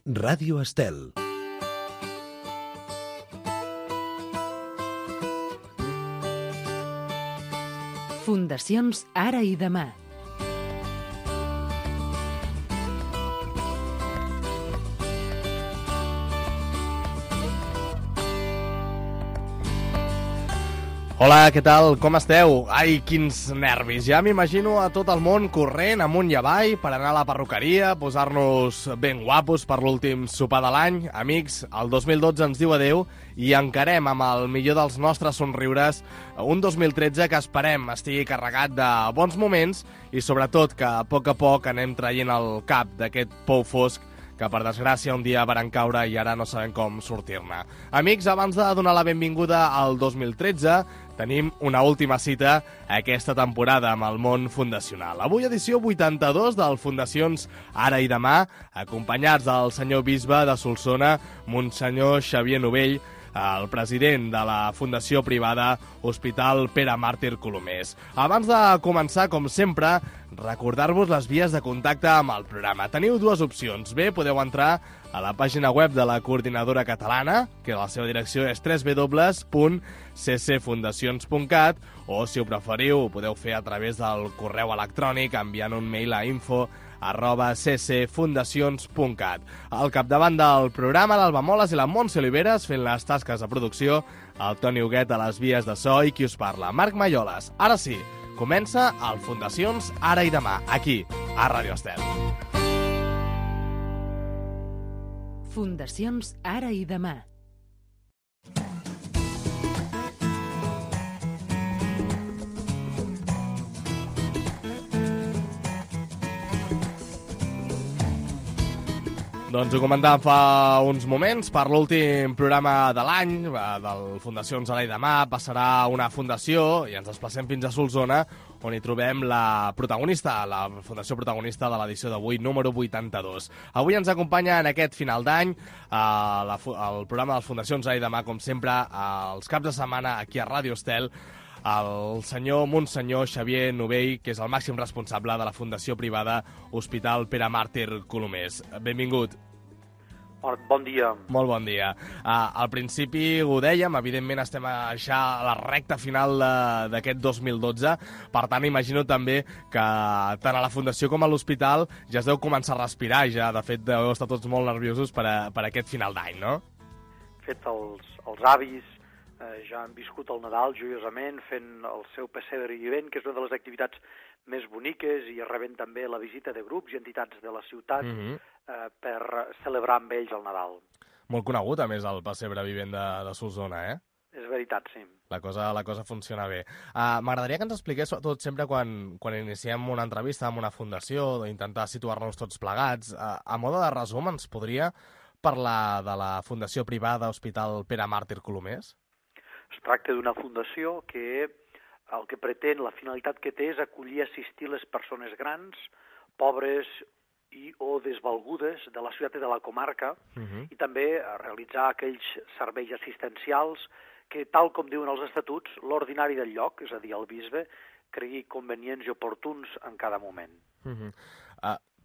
Ràdio Estel. Fundacions Ara i Demà. Hola, què tal? Com esteu? Ai, quins nervis. Ja m'imagino a tot el món corrent amunt i avall per anar a la perruqueria, posar-nos ben guapos per l'últim sopar de l'any. Amics, el 2012 ens diu adeu i encarem amb el millor dels nostres somriures un 2013 que esperem estigui carregat de bons moments i sobretot que a poc anem traient el cap d'aquest pou fosc que per desgràcia un dia varen caure i ara no sabem com sortir-ne. Amics, abans de donar la benvinguda al 2013, tenim una última cita aquesta temporada amb el món fundacional. Avui edició 82 del Fundacions Ara i Demà, acompanyats del senyor bisbe de Solsona, Monsenyor Xavier Novell, el president de la Fundació Privada Hospital Pere Màrtir Colomers. Abans de començar, com sempre, recordar-vos les vies de contacte amb el programa. Teniu dues opcions. Bé, podeu entrar a la pàgina web de la Coordinadora Catalana, que la seva direcció és www.ccfundacions.cat, o, si ho preferiu, ho podeu fer a través del correu electrònic enviant un mail a info@ccfundacions.cat. Al capdavant del programa, l'Alba Moles i la Montse Oliveres fent les tasques de producció, el Toni Huguet a les vies de so i qui us parla, Marc Malloles. Ara sí, comença el Fundacions Ara i Demà, aquí, a Ràdio Estel. Fundacions Ara i Demà. Doncs ho comentàvem fa uns moments, per l'últim programa de l'any, del Fundacions Ara i Demà, passarà una fundació i ens desplacem fins a Solsona, on hi trobem la protagonista, la fundació protagonista de l'edició d'avui, número 82. Avui ens acompanya en aquest final d'any el programa de les Fundacions Ara i Demà, com sempre, els caps de setmana aquí a Ràdio Estel, el senyor Monsenyor Xavier Novell, que és el màxim responsable de la Fundació Privada Hospital Pere Màrtir Colomers. Benvingut. Bon dia. Molt bon dia. Al principi ho dèiem, evidentment estem ja a la recta final d'aquest 2012, per tant imagino també que tant a la Fundació com a l'Hospital ja es deu començar a respirar, ja de fet deu estar tots molt nerviosos per aquest final d'any, no? De fet, els avis ja han viscut el Nadal joiosament fent el seu pessebre vivent, que és una de les activitats més boniques, i rebent també la visita de grups i entitats de la ciutat per celebrar amb ells el Nadal. Molt conegut, a més, el pessebre vivent de Solsona, eh? És veritat, sí. La cosa funciona bé. M'agradaria que ens expliqués, sobretot sempre quan iniciem una entrevista amb una fundació, intentar situar-nos tots plegats, a mode de resum, ens podria parlar de la Fundació Privada Hospital Pere Màrtir Colomers? Es tracta d'una fundació que el que pretén, la finalitat que té és acollir i assistir les persones grans, pobres o desvalgudes de la ciutat i de la comarca, i també realitzar aquells serveis assistencials que, tal com diuen els estatuts, l'ordinari del lloc, és a dir, el bisbe, cregui convenients i oportuns en cada moment.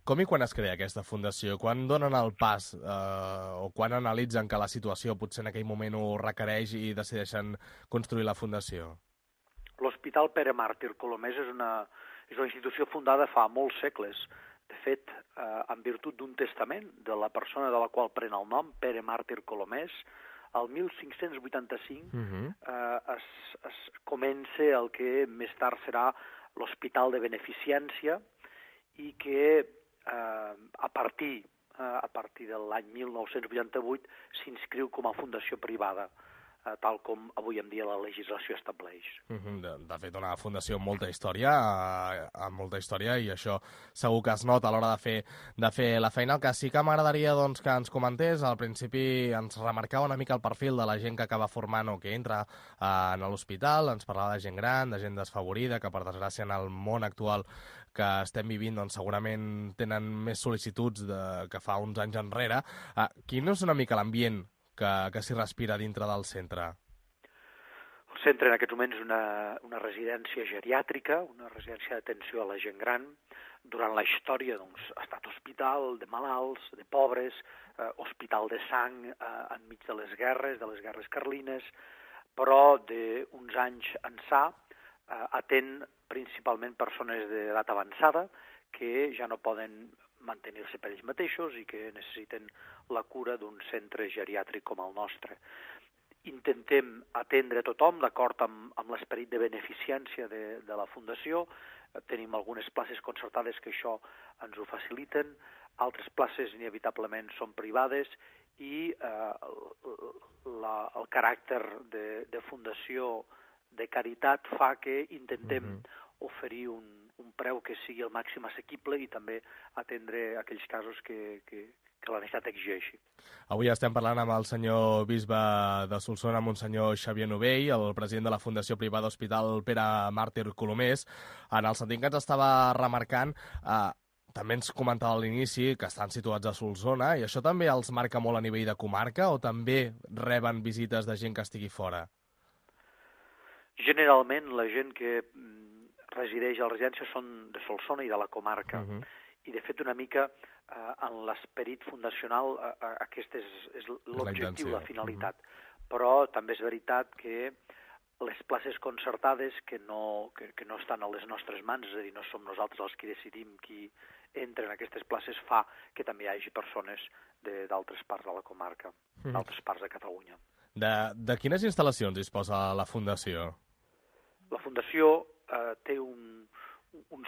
Com i quan es crea aquesta fundació? Quan donen el pas o quan analitzen que la situació potser en aquell moment ho requereix i decideixen construir la fundació? L'Hospital Pere Màrtir Colomers és una institució fundada fa molts segles. De fet, en virtut d'un testament de la persona de la qual pren el nom, Pere Màrtir Colomers, el 1585 es comença el que més tard serà l'Hospital de Beneficència i que a partir de l'any 1988 s'inscriu com a fundació privada, tal com avui en dia la legislació estableix. De fet, una fundació amb molta història, i això segur que es nota a l'hora de fer la feina. El que sí que m'agradaria que ens comentés, al principi ens remarcava una mica el perfil de la gent que acaba formant o que entra en l'hospital, ens parlava de gent gran, de gent desfavorida, que per desgràcia en el món actual que estem vivint segurament tenen més sol·licituds que fa uns anys enrere. Quin és una mica l'ambient que s'hi respira dintre del centre? El centre en aquests moments és una residència geriàtrica, una residència d'atenció a la gent gran. durant la història ha estat hospital de malalts, de pobres, hospital de sang enmig de les guerres carlines, però d'uns anys ençà atén principalment persones d'edat avançada que ja no poden mantenir-se per ells mateixos i que necessiten la cura d'un centre geriàtric com el nostre. Intentem atendre tothom d'acord amb l'esperit de beneficència de la Fundació. Tenim algunes places concertades que això ens ho faciliten, altres places inevitablement són privades i el caràcter de fundació de caritat fa que intentem oferir un preu que sigui el màxim assequible i també atendre aquells casos que la necessitat exigeixi. Avui estem parlant amb el senyor bisbe de Solsona, amb un senyor Xavier Novell, el president de la Fundació Privada Hospital Pere Màrtir Colomers, en el sentit que ens estava remarcant, també ens comentava a l'inici que estan situats a Solsona, i això també els marca molt a nivell de comarca o també reben visites de gent que estigui fora? Generalment la gent que resideix a la residència són de Solsona i de la comarca. I de fet una mica en l'esperit fundacional aquest és l'objectiu, la finalitat. Però també és veritat que les places concertades que no estan a les nostres mans, és a dir, no som nosaltres els que decidim qui entra en aquestes places, fa que també hi hagi persones d'altres parts de la comarca, d'altres parts de Catalunya. De quines instal·lacions disposa la Fundació? La Fundació té un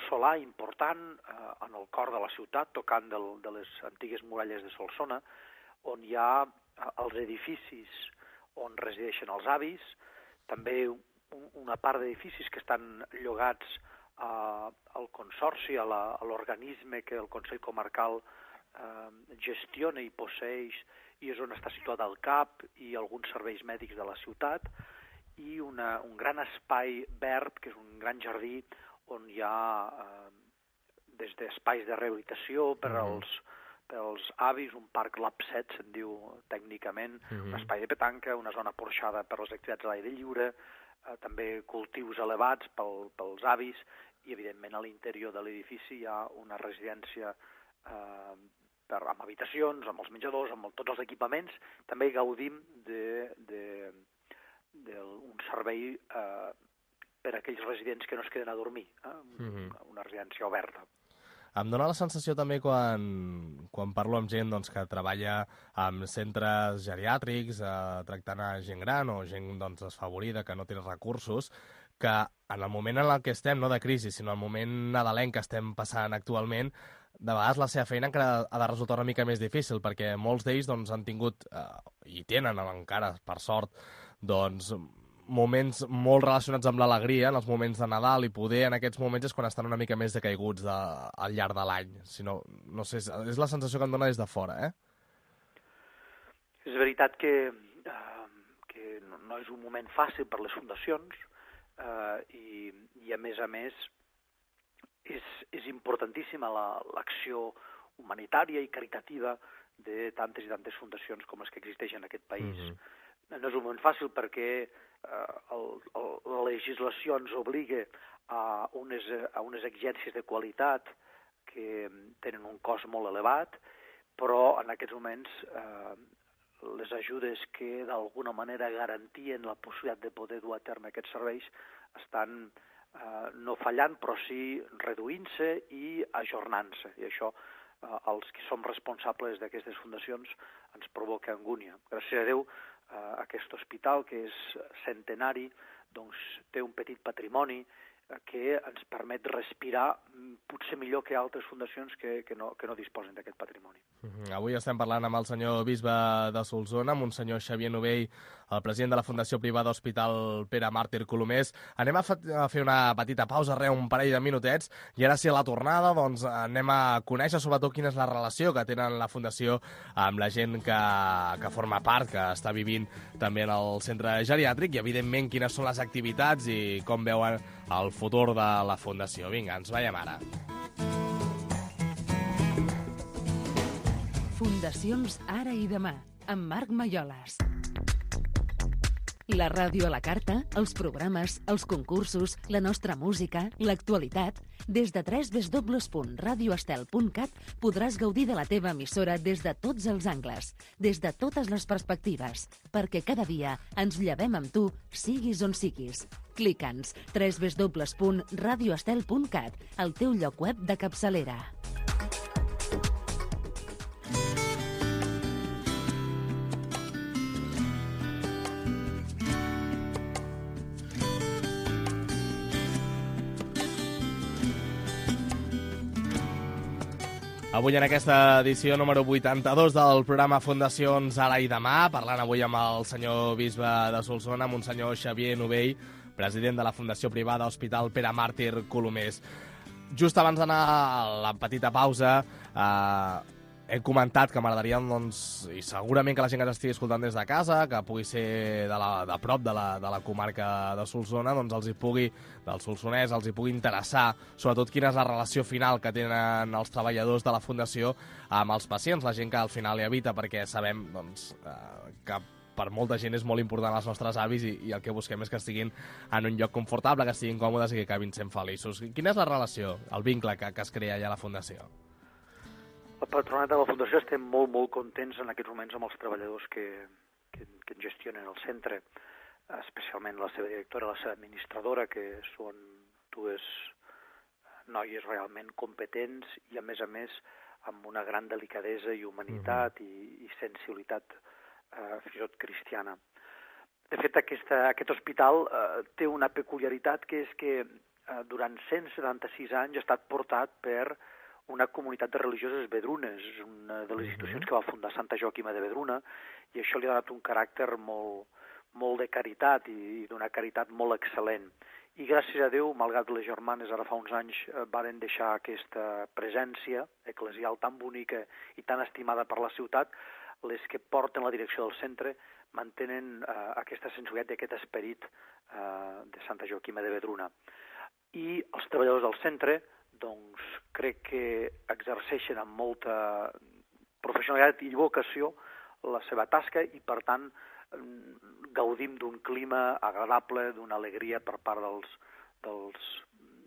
solar important en el cor de la ciutat, tocant de les antigues muralles de Solsona, on hi ha els edificis on resideixen els avis, també una part d'edificis que estan llogats al consorci, a l'organisme que el Consell Comarcal gestiona i posseeix, i és on està situat el CAP i alguns serveis mèdics de la ciutat, i un gran espai verd, que és un gran jardí, on hi ha des d'espais de rehabilitació per als avis, un parc LAP7, se'n diu tècnicament, un espai de petanca, una zona porxada per les activitats a l'aire lliure, també cultius elevats pels avis, i evidentment a l'interior de l'edifici hi ha una residència amb habitacions, amb els menjadors, amb tots els equipaments. També gaudim d'un servei per a aquells residents que no es queden a dormir, una residència oberta. Em dóna la sensació també quan parlo amb gent que treballa en centres geriàtrics, tractant a gent gran o gent desfavorida que no té recursos, que en el moment en què estem, no de crisi, sinó en el moment nadalenc que estem passant actualment, de vegades la seva feina encara ha de resultar una mica més difícil, perquè molts d'ells han tingut, i tenen encara, per sort, moments molt relacionats amb l'alegria, en els moments de Nadal, i poder en aquests moments és quan estan una mica més decaiguts al llarg de l'any. Si no sé, és la sensació que em dona des de fora, És veritat que no és un moment fàcil per les fundacions i a més és importantíssima l'acció humanitària i caritativa de tantes i tantes fundacions com les que existeixen en aquest país. No és un moment fàcil perquè la legislació ens obliga a unes exigències de qualitat que tenen un cost molt elevat, però en aquests moments les ajudes que d'alguna manera garantien la possibilitat de poder dur a terme aquests serveis estan no fallant, però sí reduint-se i ajornant-se. I això, els que som responsables d'aquestes fundacions, ens provoca angúnia. Gràcies a Déu, aquest hospital, que és centenari, té un petit patrimoni que ens permet respirar potser millor que altres fundacions que no disposen d'aquest patrimoni. Avui estem parlant amb el senyor bisbe de Solsona, amb un senyor Xavier Novell, el president de la Fundació Privada Hospital Pere Màrtir Colomers. Anem a fer una petita pausa, un parell de minutets, i ara sí, a la tornada anem a conèixer sobretot quina és la relació que tenen la Fundació amb la gent que forma part, que està vivint també en el centre geriàtric, i evidentment quines són les activitats i com veuen el futur de la Fundació. Vinga, ens veiem ara. Fundacions Ara i Demà, amb Marc Maiolas. La ràdio a la carta, els programes, els concursos, la nostra música, l'actualitat... Des de www.radioestel.cat podràs gaudir de la teva emissora des de tots els angles, des de totes les perspectives, perquè cada dia ens llevem amb tu, siguis on siguis. Clica'ns www.radioestel.cat, el teu lloc web de capçalera. Avui en aquesta edició número 82 del programa Fundacions Ara i Demà, parlant avui amb el senyor bisbe de Solsona, amb un senyor Xavier Novell, president de la Fundació Privada Hospital Pere Màrtir Colomers. Just abans d'anar a la petita pausa, he comentat que m'agradaria, doncs, i segurament que la gent que ens estigui escoltant des de casa, que pugui ser de prop de la comarca de Solsona, doncs del Solsonès, els hi pugui interessar, sobretot quina és la relació final que tenen els treballadors de la Fundació amb els pacients, la gent que al final hi habita, perquè sabem, doncs, que per molta gent és molt important els nostres avis i el que busquem és que estiguin en un lloc confortable, que estiguin còmodes i que acabin sent feliços. Quina és la relació, el vincle que es crea allà a la Fundació? El patronat de la Fundació estem molt, molt contents en aquests moments amb els treballadors que gestionen el centre, especialment la seva directora, la seva administradora, que són dues noies realment competents i, a més, amb una gran delicadesa i humanitat i sensibilitat fins i tot cristiana. De fet, aquest hospital té una peculiaritat, que és que durant 176 anys ha estat portat per una comunitat de religioses vedrunes, una de les institucions que va fundar Santa Joaquima de Vedruna, i això li ha donat un caràcter molt de caritat i d'una caritat molt excel·lent. I gràcies a Déu, malgrat les germanes ara fa uns anys varen deixar aquesta presència eclesial tan bonica i tan estimada per la ciutat, les que porten la direcció del centre mantenen aquesta sensibilitat i aquest esperit de Santa Joaquima de Vedruna. I els treballadors del centre, doncs, crec que exerceixen amb molta professionalitat i vocació la seva tasca i, per tant, gaudim d'un clima agradable, d'una alegria per part dels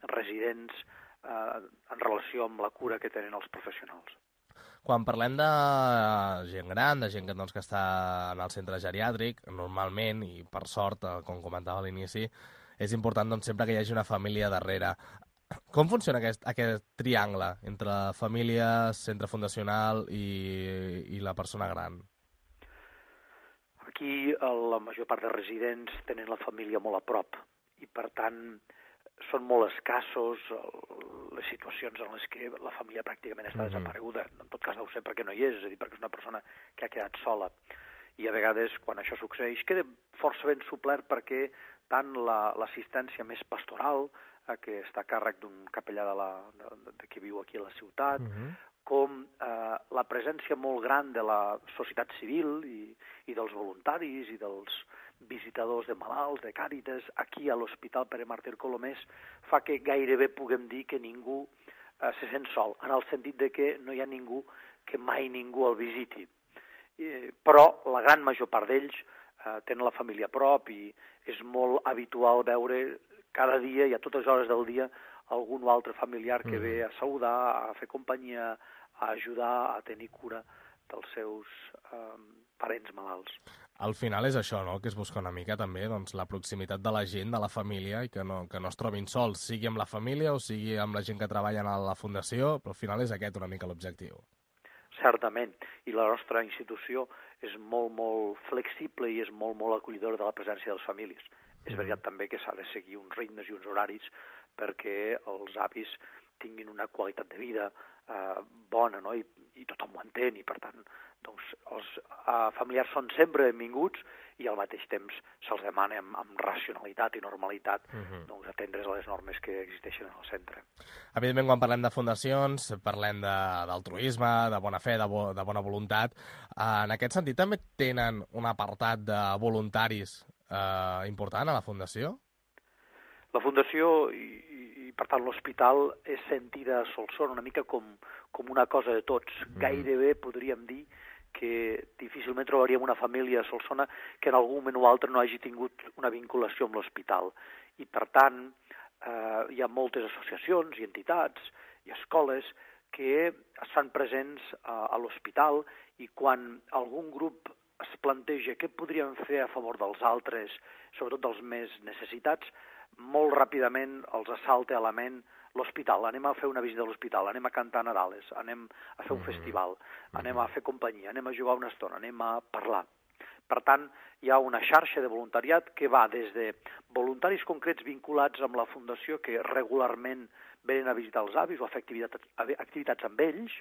residents en relació amb la cura que tenen els professionals. Quan parlem de gent gran, de gent que està en el centre geriàtric, normalment, i per sort, com comentava a l'inici, és important doncs, sempre que hi hagi una família darrere. Com funciona aquest triangle entre família, centre fundacional i la persona gran? Aquí la major part de residents tenen la família molt a prop i, per tant, són molt escassos les situacions en les que la família pràcticament està desapareguda. En tot cas deu ser perquè no hi és a dir, perquè és una persona que ha quedat sola. I a vegades, quan això succeeix, queda força ben suplert perquè tant l'assistència més pastoral, que està a càrrec d'un capellà que viu aquí a la ciutat, com la presència molt gran de la societat civil i dels voluntaris i dels visitadors de malalts, de Càritas, aquí a l'Hospital Pere Màrtir Colomers, fa que gairebé puguem dir que ningú se sent sol, en el sentit de que no hi ha ningú que mai ningú el visiti. Però la gran major part d'ells tenen la família a prop i és molt habitual veure cada dia i a totes hores del dia algun altre familiar que ve a saludar, a fer companyia, a ajudar, a tenir cura dels seus parents malalts. Al final és això, no?, que es busca una mica també, doncs, la proximitat de la gent, de la família, i que no es trobin sols, sigui amb la família o sigui amb la gent que treballa a la Fundació, però al final és aquest una mica l'objectiu. Certament, i la nostra institució és molt, molt flexible i és molt, molt acollidora de la presència de les famílies. És veritat també que s'ha de seguir uns ritmes i uns horaris perquè els avis tinguin una qualitat de vida bona, no? I tothom ho entén, i per tant doncs, els familiars són sempre benvinguts i al mateix temps se'ls demana amb racionalitat i normalitat doncs, atendre's a les normes que existeixen en el centre. Evidentment, quan parlem de fundacions, parlem d'altruisme, de bona fe, de bona voluntat. En aquest sentit, també tenen un apartat de voluntaris important a la Fundació? La Fundació i per tant l'hospital és sentida a Solsona una mica com una cosa de tots. Gairebé podríem dir que difícilment trobaríem una família a Solsona que en algun moment o altre no hagi tingut una vinculació amb l'hospital. I, per tant, hi ha moltes associacions i entitats i escoles que es fan presents a l'hospital i quan algun grup es planteja què podríem fer a favor dels altres, sobretot dels més necessitats, molt ràpidament els assalta a la ment l'hospital. Anem a fer una visita a l'hospital, anem a cantar Nadales, anem a fer un festival, anem a fer companyia, anem a jugar una estona, anem a parlar. Per tant, hi ha una xarxa de voluntariat que va des de voluntaris concrets vinculats amb la Fundació que regularment venen a visitar els avis o a fer activitats amb ells,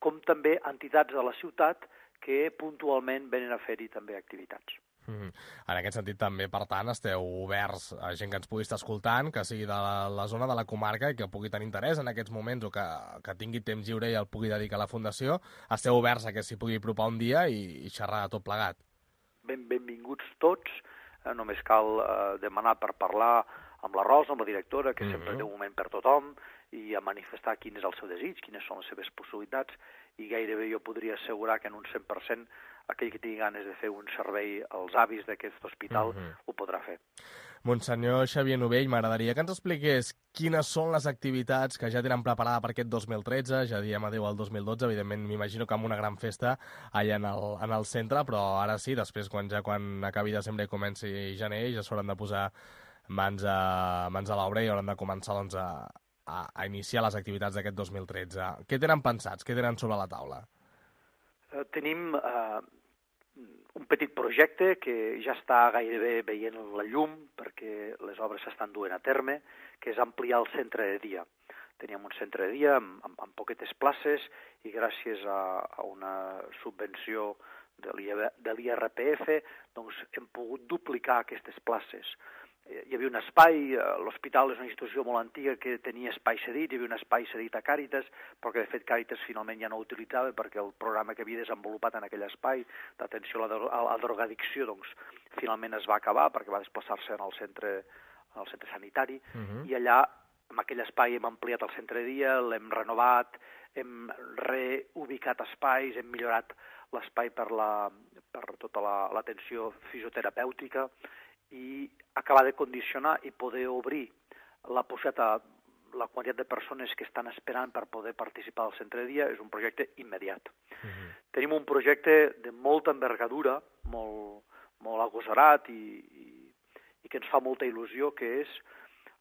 com també entitats de la ciutat que puntualment venen a fer-hi també activitats. En aquest sentit també, per tant, esteu oberts a gent que ens pugui estar escoltant, que sigui de la zona de la comarca i que pugui tenir interès en aquests moments o que tingui temps lliure i el pugui dedicar a la Fundació. Esteu oberts a que s'hi pugui apropar un dia i xerrar de tot plegat. Benvinguts tots, només cal demanar per parlar amb la Rosa, amb la directora, que sempre té un moment per tothom, i a manifestar quin és el seu desig, quines són les seves possibilitats, i gairebé jo podria assegurar que en un 100% aquell que tingui ganes de fer un servei als avis d'aquest hospital ho podrà fer. Monsenyor Xavier Novell, m'agradaria que ens expliqués quines són les activitats que ja tenen preparada per aquest 2013, ja diem adéu al 2012, evidentment m'imagino que amb una gran festa allà en el centre, però ara sí, després quan acabi desembre i comenci gener ja s'hauran de posar mans a l'obra i hauran de començar doncs, a iniciar les activitats d'aquest 2013. Què tenen pensats? Què tenen sobre la taula? Tenim un petit projecte que ja està gairebé veient la llum perquè les obres s'estan duent a terme, que és ampliar el centre de dia. Teníem un centre de dia amb poquetes places i gràcies a una subvenció de l'IRPF doncs hem pogut duplicar aquestes places. Hi havia un espai, l'hospital és una institució molt antiga que tenia espai cedit, hi havia un espai cedit a Càritas, però que de fet Càritas finalment ja no ho utilitzava perquè el programa que havia desenvolupat en aquell espai d'atenció a la drogadicció doncs, finalment es va acabar perquè va desplaçar-se al centre sanitari i allà en aquell espai hem ampliat el centre de dia, l'hem renovat, hem reubicat espais, hem millorat l'espai per tota l'atenció fisioterapèutica i acabar de condicionar i poder obrir la possibilitat a la quantitat de persones que estan esperant per poder participar al centre de dia és un projecte immediat. Tenim un projecte de molta envergadura, molt agosarat i que ens fa molta il·lusió, que és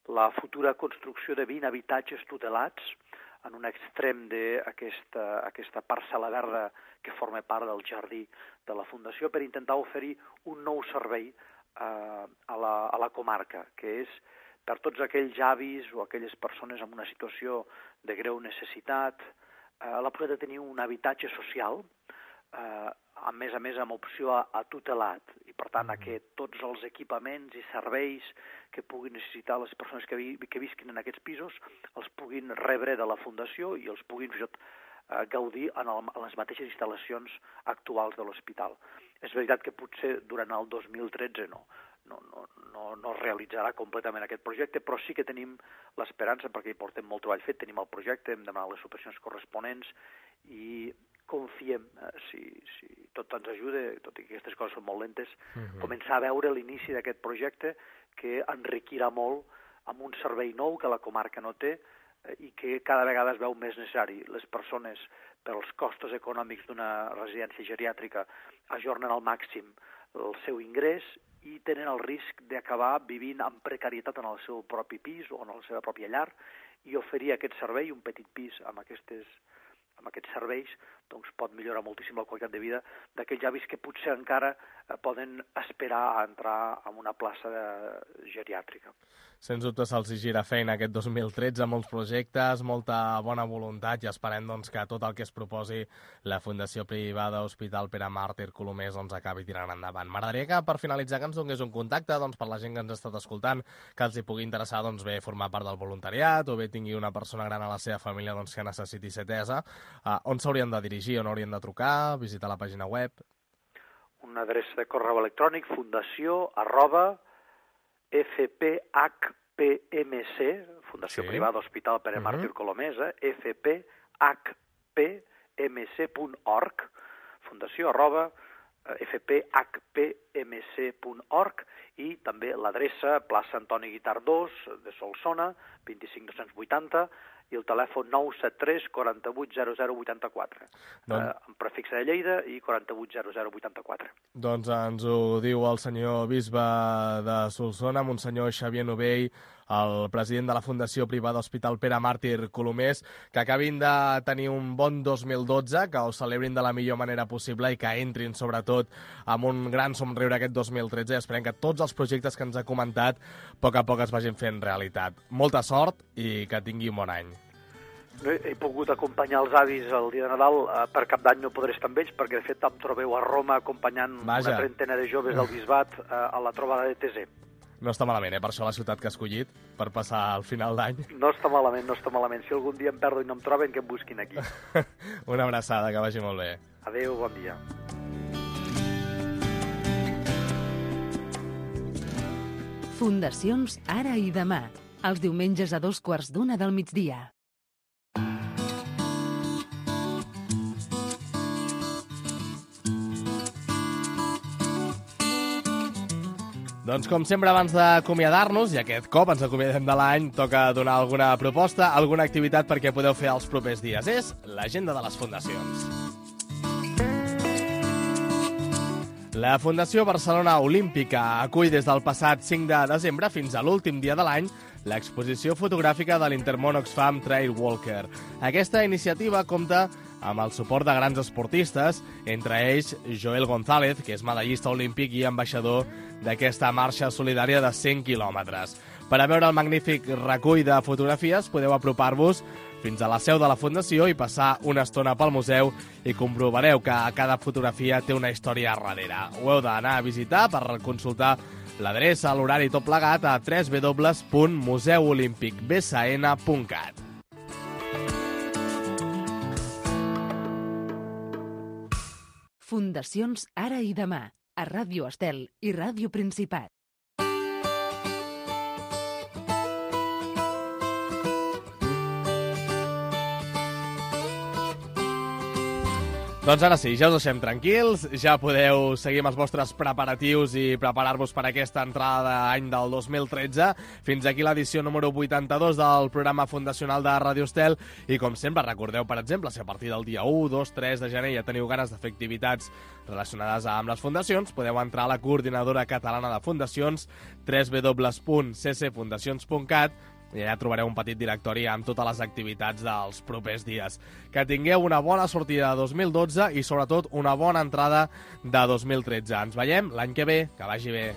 la futura construcció de 20 habitatges tutelats en un extrem d'aquesta parcel·la verda que forma part del jardí de la Fundació per intentar oferir un nou servei a la comarca, que és per tots aquells avis o aquelles persones en una situació de greu necessitat, la possibilitat de tenir un habitatge social, a més amb opció a tutelat, i per tant que tots els equipaments i serveis que puguin necessitar les persones que visquin en aquests pisos els puguin rebre de la Fundació i els puguin gaudir en les mateixes instal·lacions actuals de l'hospital. És veritat que potser durant el 2013 no es realitzarà completament aquest projecte, però sí que tenim l'esperança, perquè hi portem molt treball fet, tenim el projecte, hem demanat les subvencions corresponents i confiem, si tot ens ajuda, tot i que aquestes coses són molt lentes, començar a veure l'inici d'aquest projecte que enriquirà molt amb un servei nou que la comarca no té i que cada vegada es veu més necessari. Les persones, pels costos econòmics d'una residència geriàtrica, ajornen al màxim el seu ingrés i tenen el risc d'acabar vivint amb precarietat en el seu propi pis o en la seva pròpia llar i oferir aquest servei, un petit pis amb aquests serveis, doncs pot millorar moltíssim la qualitat de vida d'aquells avis que potser encara poden esperar a entrar en una plaça geriàtrica. Sens dubte se'ls gira feina aquest 2013, molts projectes, molta bona voluntat i esperem doncs, que tot el que es proposi la Fundació Privada Hospital Pere Màrtir Colomers doncs, acabi tirant endavant. M'agradaria que per finalitzar que ens donés un contacte doncs, per la gent que ens ha estat escoltant, que els hi pugui interessar doncs, bé formar part del voluntariat o bé tingui una persona gran a la seva família doncs, que necessiti ser atesa. On s'haurien de dirigir, on haurien de trucar, visitar la pàgina web? Una adreça de correu electrònic fundació@fphpmc, Fundació Privada Hospital Pere Màrtir Colomers, fphpmc.org, fundació@fphpmc.org, i també l'adreça plaça Antoni Guitart 2 de Solsona, 25280, i el telèfon 973 48 00 84, amb prefix de Lleida i 48 00 84. Doncs ens ho diu el senyor bisbe de Solsona, Monsenyor Xavier Novell, el president de la Fundació Privada Hospital Pere Màrtir Colomers, que acabin de tenir un bon 2012, que ho celebrin de la millor manera possible i que entrin, sobretot, amb un gran somriure aquest 2013. Esperem que tots els projectes que ens ha comentat a poc es vagin fent realitat. Molta sort i que tingui un bon any. He pogut acompanyar els avis el dia de Nadal, per Cap d'Any no podré estar amb ells, perquè de fet em trobeu a Roma acompanyant una trentena de joves del bisbat a la trobada de Tesé. No està malament, per això la ciutat que ha escollit, per passar al final d'any. No està malament. Si algun dia em perdo i no em troben, que em busquin aquí. Una abraçada, que vagi molt bé. Adéu, bon dia. Fundacions Ara i Demà, els diumenges a 2:15 del migdia. Doncs com sempre, abans d'acomiadar-nos, i aquest cop ens acomiadem de l'any, toca donar alguna proposta, alguna activitat perquè podeu fer els propers dies. És l'agenda de les fundacions. La Fundació Barcelona Olímpica acull des del passat 5 de desembre fins a l'últim dia de l'any l'exposició fotogràfica de l'Intermón Oxfam Trail Walker. Aquesta iniciativa compta amb el suport de grans esportistes, entre ells Joel González, que és medallista olímpic i ambaixador d'aquesta marxa solidària de 100 quilòmetres. Per a veure el magnífic recull de fotografies podeu apropar-vos fins a la seu de la Fundació i passar una estona pel museu i comprovareu que cada fotografia té una història darrere. Ho heu d'anar a visitar per consultar l'adreça, l'horari i tot plegat a www.museuolimpicbsn.cat. Fundacions Ara i Demà, a Ràdio Estel i Ràdio Principat. Doncs ara sí, ja us deixem tranquils, ja podeu seguir amb els vostres preparatius i preparar-vos per aquesta entrada d'any del 2013. Fins aquí l'edició número 82 del programa fundacional de Ràdio Estel i, com sempre, recordeu, per exemple, si a partir del dia 1, 2, 3 de gener ja teniu ganes de fer activitats relacionades amb les fundacions, podeu entrar a la Coordinadora Catalana de Fundacions, www.ccfundacions.cat, i allà trobareu un petit directori amb totes les activitats dels propers dies. Que tingueu una bona sortida de 2012 i, sobretot, una bona entrada de 2013. Ens veiem l'any que ve. Que vagi bé.